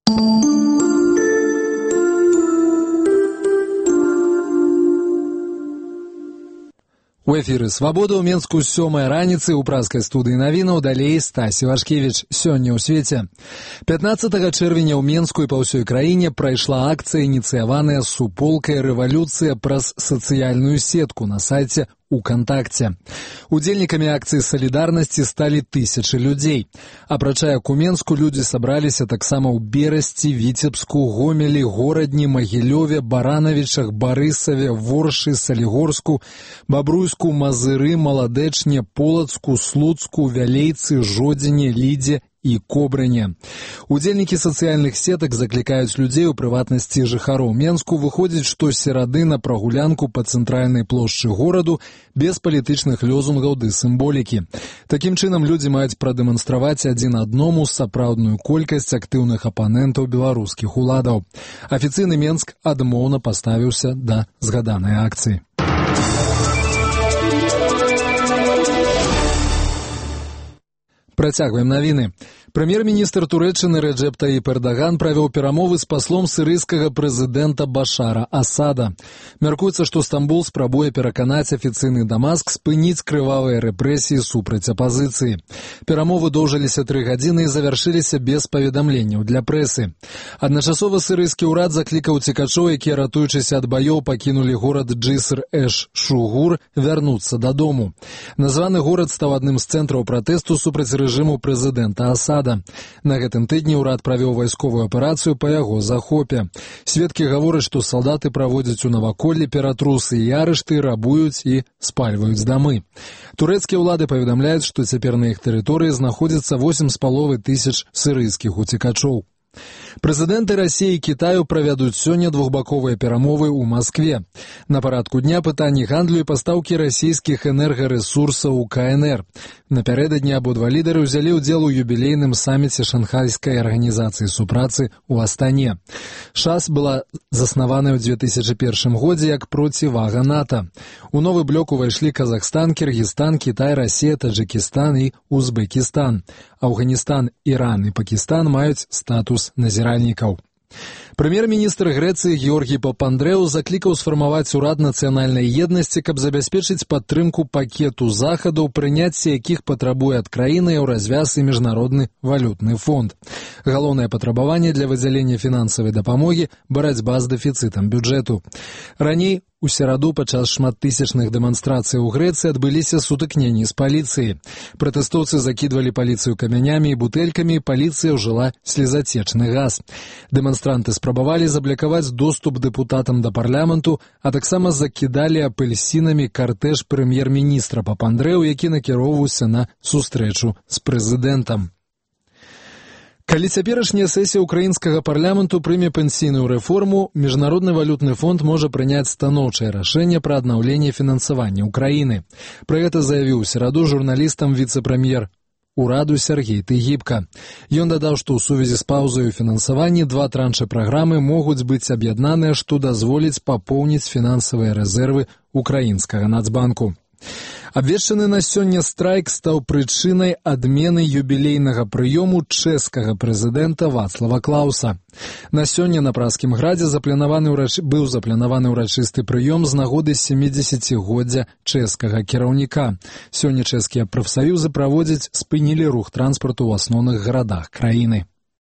У эфіры «Свабода» ў Менску 7 раніцы ў празкай студыі навінаў, далей Стасі Вашкевіч. Сёння ў свеце. 15 чэрвеня ў Менску і па ўсёй краіне прайшла акцыя, ініцыяваная суполкай «Рэвалюцыя» праз сацыяльную сетку на сайце УКонтакце. Удзельнікамі акцыі салідарнасці сталі тысячы людзей. Апрача як у Менску, людзі сабраліся таксама ў Берасці, Віцебску, Гомелі, Горадні, Магілёве, Баранавічах, Барысаве, Воршы, Салігорску, Бабруйску, Мазыры, Маладэчне, Полацку, Слуцку, Вялейцы, Жодзіне, Лідзе і Кобрыне. Удзельнікі сацыяльных сетак заклікаюць людзей, у прыватнасці жыхароў Менску, выходзіць штосерады на прагулянку па цэнтральнай плошчы гораду без палітычных лёзунгаў ды сімволікі. Такім чынам людзі маюць прадэманстраваць адзін адному сапраўдную колькасць актыўных апанентаў беларускіх уладаў. Афіцыйны Менск адмоўна паставіўся да згаданай акцыі. Працягваем навіны. Прэм'ер-міністр Турэччыны Рэджэп Таіп Эрдаган правёў перамовы з паслом сірыйскага прэзідэнта Башара Асада. Мяркуецца, што Стамбул спрабуе пераканаць афіцыйны Дамаск спыніць крывавыя рэпрэсіі супраць апазіцыі. Перамовы доўжыліся 3 гадзіны і завяршыліся без паведамленняў для прэсы. Адначасова сірыйскі ўрад заклікаў цікачоў, якія, ратуючыся ад баёў, пакінулі горад Джыср-эш-Шугур, вярнуцца дадому. Названы горад стаў адным з цэнтраў пратэсту супраць рэжыму прэзідэнта Асада. На гэтым тыдні ўрад правёў вайсковую аперацыю па яго захопе. Сведкі гавораць, што салдаты праводзяць у наваколлі ператрусы і арышты, рабуюць і спальваюць дамы. Турэцкія ўлады паведамляюць, што цяпер на іх тэрыторыі знаходзіцца 8,5 тысяч сірыйскіх уцекачоў. Прэзідэнты Расіі і Кітаю правядуць сёння двухбаковыя перамовы ў Маскве. На парадку дня пытанні гандлю і пастаўкі расійскіх энергарэсурсаў у КНР. Напярэдадні абодва лідары ўзялі ўдзел у юбілейным саміце Шанхайскай арганізацыі супрацы ў Астане. ШАС была заснаваная ў 2001 годзе як процівага НАТО. У новы блок увайшлі Казахстан, Кіргізстан, Кітай, Расія, Таджикістан і Узбекістан. Афганістан, Іран і Пакістан маюць статус назіральнікаў. Прэм'ер-міністр Грэцыі Георгій Папандрэу заклікаў сфармаваць урад нацыянальнай еднасці, каб забяспечыць падтрымку пакету захадаў, прыняцце якіх патрабуе ад краіны Еўразвяз і Міжнародны валютны фонд. Галоўнае патрабаванне для выдзялення фінансавай дапамогі – барацьба з дэфіцытам бюджэту. Раней у сераду падчас шматтысячных дэманстрацый у Грэцыі адбыліся сутыкненні з паліцыяй. Пратэстоўцы закідвалі паліцыю камянямі і бутэлькамі, паліцыя ўжыла слезацечны газ. Дэманстранты спрабавалі заблакаваць доступ дэпутатам да парламенту, а таксама закідалі апельсінамі картэж прэм'ер-міністра Папандрэу, які накіроўваўся на сустрэчу з прэзідэнтам. Калі цяперашняя сесія ўкраінскага парламенту прыме пенсійную рэформу, Міжнародны валютны фонд можа прыняць станоўчае рашэнне пра аднаўленне фінансавання ўкраіны. Пра гэта заявіў у сераду журналістам віцэ-прэм'ер ураду Сергей Тыгібка. Ён дадаў, што ў сувязі з паўзай у фінансаванні 2 траншы праграмы могуць быць аб'яднаныя, што дазволіць папоўніць фінансавыя рэзервы ўкраінскага нацбанку. Абвешчаны на сёння страйк стаў прычынай адмены юбілейнага прыёму чэшскага прэзідэнта Вацлава Клауса. На сёння на Празкім градзе быў запланаваны ўрачысты прыём з нагоды 70-годдзя чэшскага кіраўніка. Сёння чэшскія прафсаюзы спынілі рух транспарту ў асноўных гарадах краіны.